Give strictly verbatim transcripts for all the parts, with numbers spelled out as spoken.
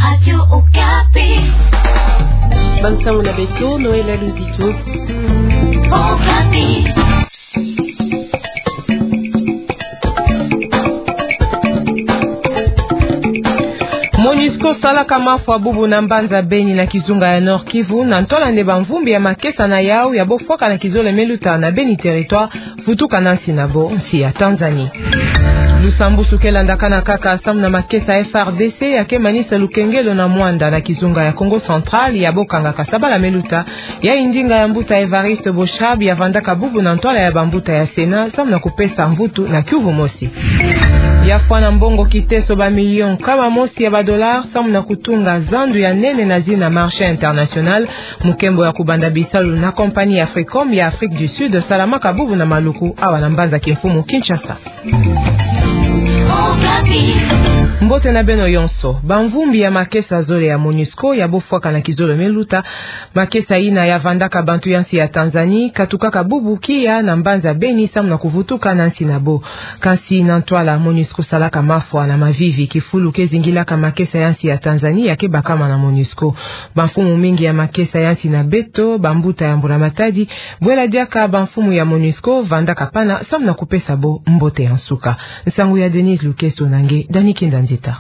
Radio Okapi. Bansango na beto, Noëlla Luzito. Okapi. MONUSCO salaka mafwa bubu na mbanza Beni na kizunga ya Nord-Kivu, na ntwala nde bamvumbi ya makesa na yau ya bofwaka na kizole me luta na Beni Territoire, vutuka na nsi na bo, nsi ya Tanzanie. Lusambusu ke landakana kaka samu na makesa ya F A R D C ya ke manisa lukengelo na Muanda na kizunga ya Kongo Central ya bokangaka sabala me luta, ya ndinga ya mbuta Évariste Boshab ya vandaka bubu na ntwala ya bambuta ya Sénat samu na kupesa mvutu na kiuvu mosi. Ya fwana mbongo kiteso ba million nkama mosi ya ba dollars samu na kutunga zandu ya nene na zina marché international, mukembo ya kubanda bisalu na compagnie Africom ya Afrique du Sud salamaka bubu na Maluku awa na mbanza kimfumu Kinshasa. Mbote na beno yonso. Bamvumbi ya makesa zole ya MONUSCO ya bofwaka na kizole me luta, makesa yina ya vandaka bantu ya nsi ya Tanzanie, katukaka bubu kia na mbanza Beni samu na kuvutuka na nsi na bo. Kansi na ntwala MONUSCO salaka mafwa na mavivi, kifulu ke zingilaka makesa ya nsi ya Tanzanie ya ke bakama na MONUSCO. Bamfumu mingi ya makesa ya nsi na beto, bambuta ya Mbula Matadi, bwela diaka bamfumu ya MONUSCO vandaka pana samu na kupesa bo mbote ya nsuka. Nsangu ya Denise Lukeso na nge Dani Kinda Nzita.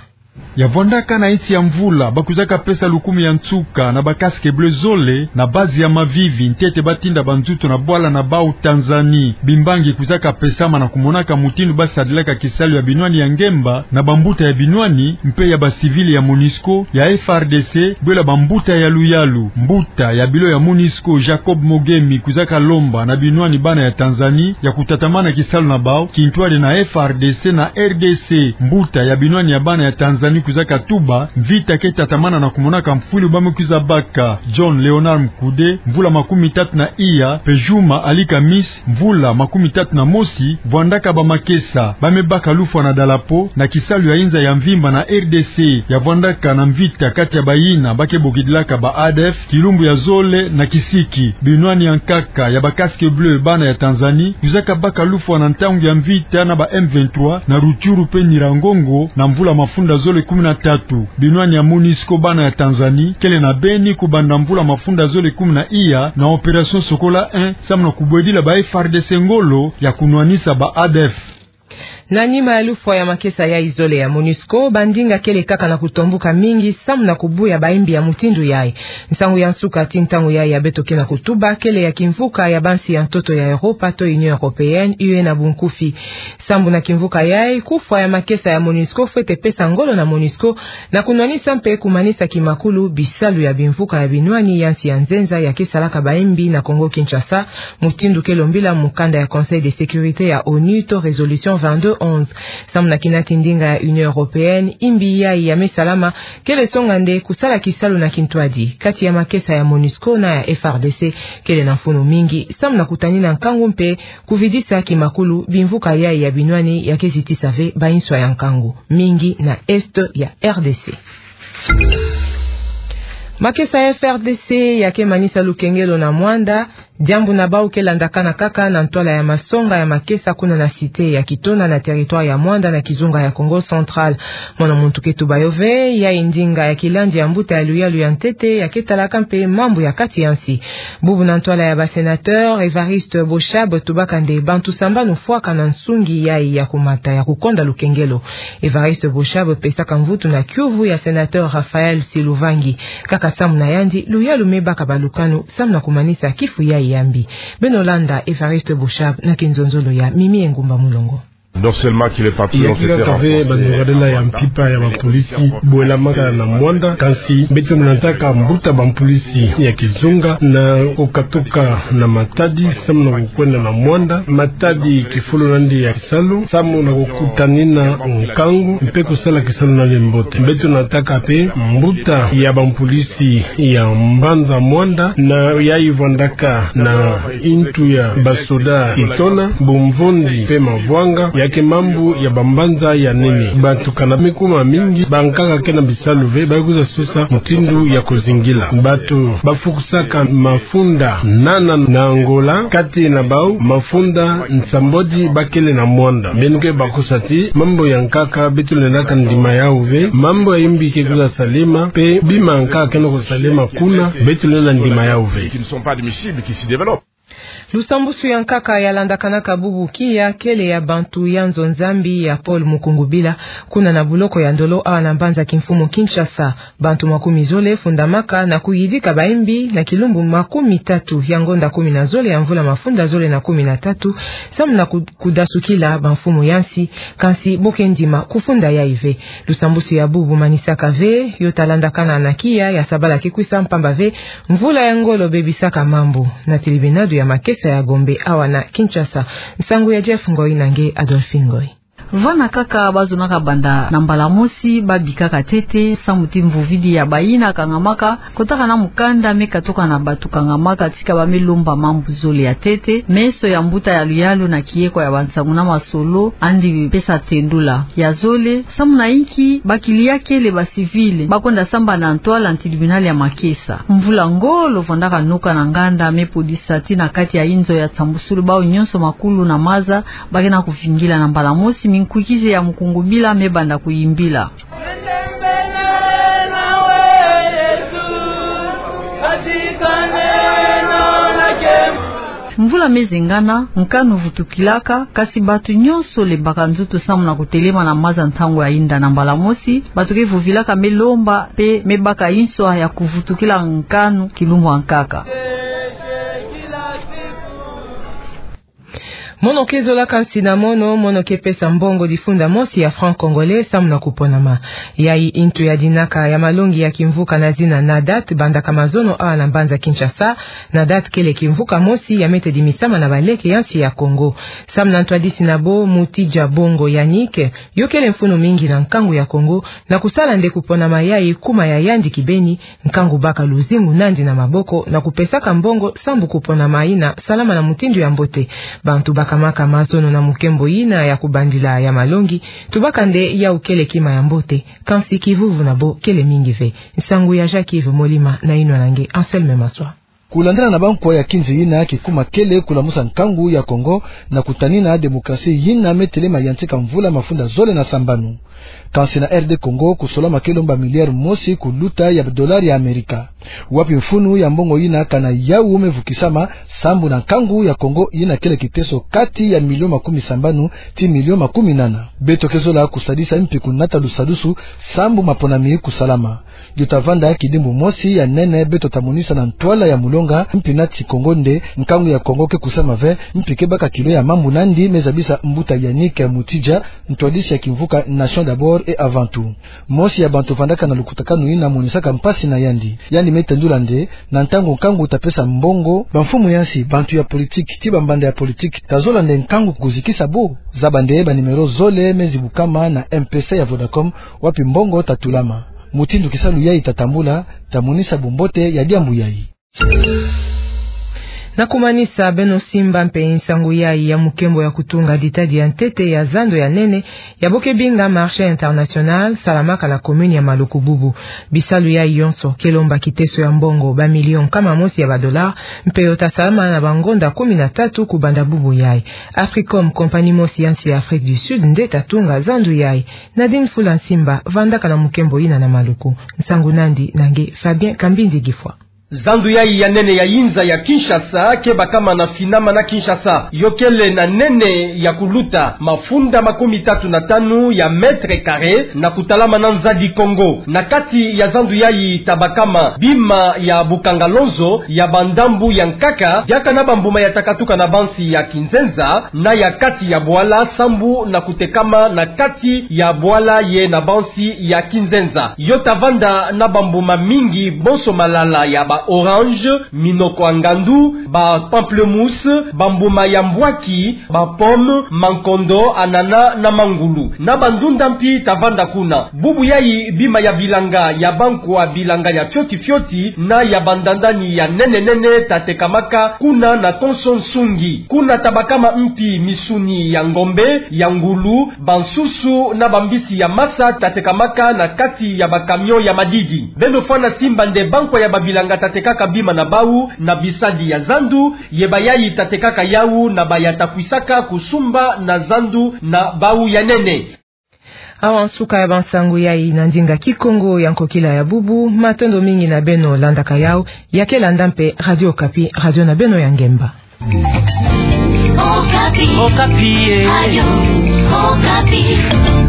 Ya vandaka na iti ya mvula, ba kwizaka pesa lukumu ya nsuka na ba casque bleu zole na base ya mavivi, ntete ba tinda banzutu na bwala na bau Tanzanie. Bimbangi kwizaka pesama na kumonaka mutindu ba sadilaka kisalu ya binwani ya ngemba na bambuta ya binwani, mpe ya ba civil ya MONUSCO, ya F A R D C, bwela bambuta ya luyalu. Mbuta ya bilo ya MONUSCO, Jacob Mogemi, kwizaka lomba na binwani bana ya Tanzanie ya kutatamana kisalu na bau, kintwadi na F A R D C na R D C. Mbuta ya binwani ya bana ya Tanzanie kwizaka tuba, mvita ke tatamana na kumonaka mfwilu ba me kwiza baka. John Leonard Mkude, mvula makumi tatu na iya, mpe Juma Ali Kamis, mvula makumi tatu na mosi, vandaka ba makesa, ba me baka lufwa na dalapo na kisalu ya inza ya mvimba na R D C, ya vandaka na mvita kati ya bayina ba ke bokidilaka ba A D F, kilumbu ya zole na kisiki. Binwani ya nkaka ya ba casque bleu bana ya Tanzanie kwizaka baka lufwa na ntangu ya mvita na ba M vingt-trois na Rutshuru mpe Nyiragongo na mvula mafunda zole kumi na tatu. Binwani ya MONUSCO bana ya Tanzanie kele na Beni kubanda mvula mafunda zole kumi na iya na opération Sokola un, samu na kubwedila ba F A R D C ngolo ya kunwanisa ba A D F. Na nima ya lufwa ya makesa yai zole ya MONUSCO, bandinga kele kaka na kutombuka mingi samu na kubuya bayimbi ya mutindu yai. Nsangu ya nsuka ti ntangu yai ya beto ke na kutuba kele ya kimvuka ya bansi ya ntoto ya Europa to Union Européenne, U E na bunkufi. Sambu na kimvuka yai, kufwa ya makesa ya MONUSCO fwete pesa ngolo na MONUSCO na kunwanisa mpe kumanisa kimakulu bisalu ya bimvuka ya binwani ya nsi ya nzenza ya ke salaka bayimbi na Congo-Kinshasa, mutindu ke lombila mukanda ya Conseil de sécurité ya ONU to résolution vingt-deux onze. Samu na kina ti ndinga ya Union Européenne, yimbi yai ya me salama kele songa nde kusala kisalu na kintwadi kati ya makesa ya MONUSCO na ya F A R D C. Kele na mfunu mingi samu na kutanina nkangu mpe kuvidisa kimakulu bimvuka yai ya binwani ya ke zitisa ve bayinswa ya nkangu mingi na Est ya R D C. Makesa ya F R D C ya ke manisa lukengelo na Muanda, diambu na bau ke landakana kaka na ntwala ya masonga ya makesa kuna na cité ya Kitona na territoire ya Muanda na kizunga ya Kongo Central. Mwana muntu ke tuba yo ve, yai ndinga ya kilandi ya mbuta ya luyalu ya ntete ya ke talaka mpe mambu ya kati ya nsi. Bubu na ntwala ya ba sénateur, Évariste Boshab tubaka nde bantu sambanu fwaka na nsungi yai ya kumata ya kukonda lukengelo. Évariste Boshab pesaka mvutu na kiuvu ya sénateur Raphaël Siluvangi. Kaka samu na yandi, luyalu me baka balukanu samu na kumanisa kifu yai ya mbi. Beno landa Évariste Boshab na kinzonzolo ya Mimi Engumba Mulongo. Non seulement que les patriotes ont été renforcés, ya kila kave bandogadela ya mpimpa ya bapolisi bwelamaka na Muanda, kansi beto nataka mbuta bapolisi ya kizunga na kukatuka na Matadi, samu na kukwenda na Muanda. Matadi kifulu nandi ya kisalu, samu na kukutanina nkangu, mpe kusala kisalu nandi mbote. Beto nataka mpe mbuta ya bapolisi ya mbanza Muanda, na yai vandaka na intu ya basoda Kitona, Bumvondi mpe Mavwanga, Ya ke mambu ya bambanza ya nene. Bantu kana me kuma mingi, bankaka ke na bisalu ve, baye kwiza sosa mutindu ya kuzingila. Bantu bafukusaka mafunda nana na Angola, kati na bau mafunda nsambwadi bakele na mwanda. Beno ke bakusa ti mambu ya nkaka beto lendaka ndima yau ve, mambu ya yimbi ke kwiza salema, mpe bima nkaka ke na kusalema kuna, beto lenda ndima yau ve. Lusambusu ya nkaka yalandakanaka bubu kiya kele ya bantu ya nzo Nzambi ya Paul Mukungubila, kuna na buloko ya Ndolo awa na mbanza kimfumu Kinshasa. Bantu makumi zole fundamaka na kuyidika bayimbi na kilumbu makumi tatu ya ngonda kumi na zole ya mvula mafunda zole na kumi na tatu, samu na ku-, kudasukila bamfumu ya nsi, kansi bo ke ndima kufunda yayi ve. Lusambusu ya bubu manisaka ve, yo talandakana na kiya ya sabala ke kwisa mpamba ve, mvula ya ngolo bebisaka mambu, na tilibinadu ya makesa ya Gombe awa na Kinshasa. Nsangu ya Jeff Ngoi na nge Adolphine Ngoi. Vana kaka bazonaka banda na mbala mosi, babikaka ntete, samu ti mvuvidi ya bayina kangamaka, kotaka na mukanda me katuka na bantu kangamaka, tika ba me lomba mambu zole ya ntete, meso ya mbuta ya luyalu na kieko ya bansangu na masolo, andi pesa tendula. Ya zole, samu na inki bakiliya kele ba civil, bakwenda samba na ntwala na tribunal ya makesa. Mvula ngolo vandaka noka na nganda me podisa ti na kati ya inzo ya nsambusulu bau nyonso makulu na maza, ba ke na kuvingila na mbala mosi, minkuikize ya Mukungubila me banda kuyimbila. Mvula me zengana, nkanu vutukilaka, kansi bantu nyonso lembaka nzutu samu na kutelema na maza ntangu ya yinda na mbala mosi, bantu ke vuvilaka me lomba, mpe me baka inso ya kuvutukila nkanu kilumbu ya nkaka. Mono ke zolaka nsi na mono, mono ke pesa mbongo difunda mosi ya franc congolais samu na kuponama. Yayi ntu ya dinaka ya malongi ya kimvuka na zina NADAT, bandaka mazono awa na mbanza Kinshasa. NADAT kele kimvuka mosi ya mete dimisama na baleke ya nsi ya Kongo. Samu na ntwadisi na bo, Mutidja Bongo Yannick, yo kele mfunu mingi na nkangu ya Kongo, na kusala nde kuponama yayi kuma ya yandi kibeni, nkangu baka luzingu nandi na maboko, na kupesaka mbongo sambu kuponama yina salama na mutindu ya mbote. Bantu bakamaka mazono na mukembo yina ya kubandila ya malongi, tubaka nde yau kele kima ya mbote, kansi kivuvu na bo kele mingi ve. Nsangu ya Jacques Yves Molima na yinwa na nge Anselme Maswa. Kulandana na bankwa ya kinzi yina kikuma kele kulamusa nkangu ya Kongo na kutanina démocratie yina me telema yantika mvula mafunda zole na sambanu. Kansi na R D Congo, kusolama ke lomba milliard mosi kuluta ya dollar ya Amerika. Wapi mfunu ya mbongo yina kana yau me vukisama sambu na nkangu ya Kongo yina kele kiteso kati ya milio makumi sambanu ti milio makumi nana. Beto ke zola kusadisa mpi kunata lusadusu sambu maponami kusalama. Yo tavanda kidimbu mosi ya nene beto tamonisa na ntwala ya mulonga, mpi nati Kongo nde nkangu ya Kongo ke kusama ve, mpi ke baka kilo ya mambu nandi me zabisa mbuta Yannick Mutidja, ntwadisi ya kimvuka Nation d'abord et avant tout. Mosi ya bantu vandaka na lukutakanu yina monisaka mpasi na yandi. Yandi me tendula nde, na ntangu nkangu tapesa mbongo, bamfumu ya nsi, bantu ya politique, ti bambanda ya politique, tazola nde nkangu kuzikisa bo. Zaba nde ba numéro zole me zibukama na M P C ya Vodacom, wapi mbongo tatulama. Mutindu kisalu yayi tatambula, tamonisa bumbote ya diambu yayi. Na kumanisa, beno simba mpe nsangu yayi ya mukembo ya kutunga ditadi ya ntete ya zando ya nene, ya bo ke binga marché international, salamaka na commune ya Maluku bubu. Bisalu yayi yonso ke lomba kiteso ya mbongo ba million nkama mosi ya ba dollar, mpe yo tasalama na bangonda kumi na tatu kubanda bubu yayi. Africom, compagnie mosi ya nsi ya Afrique du Sud, nde tatunga zando yayi. Nadine Fula Nsimba vandaka na mukembo yina na Maluku. Nsangu nandi na nge Fabien Kambindi Gifwa. Zando yayi ya nene ya yinza ya Kinshasa ke bakama na finama na Kinshasa. Yo kele na nene ya kuluta mafunda makumi tatu na tanu ya mètre carré, na kutalama na Nzadi Kongo. Na kati ya zando yayi tabakama bima ya bukangalonzo ya bandambu ya nkaka, diaka na bambuma ya takatuka na bansi ya kinzenza, na ya kati ya bwala, sambu na kutekama na kati ya bwala ye na bansi ya kinzenza. Yo tavanda na bambuma mingi, bonso malala ya ba orange, minoko ya ngandu, ba pamplemousse, bambuma ya mbwaki, ba pomme, mankondo, anana na mangulu. Na bandunda mpi tavanda kuna. Bubu yayi bima ya bilanga ya bankwa bilanga ya fioti fioti na ya bandandani ya nene nene tatekamaka kuna na konso nsungi. Kuna tabakama mpi misuni ya ngombe, ya ngulu, bansusu na bambisi ya masa tatekamaka na kati ya ba camion ya madidi. Beno fwana simba nde bankwa ya babilanga tatekaka bima na bau na bisadi ya zandu, ye bayayi tatekaka yau na baya takwisaka kusumba na zandu na bau ya nene. Awa nsuka ya bansangu yayi na ndinga Kikongo ya nkokila ya bubu. Matondo mingi na beno landaka yau. Ya ke landa mpe Radio Okapi, radio na beno ya ngemba. Okapi. Okapi, eh. Radio Okapi.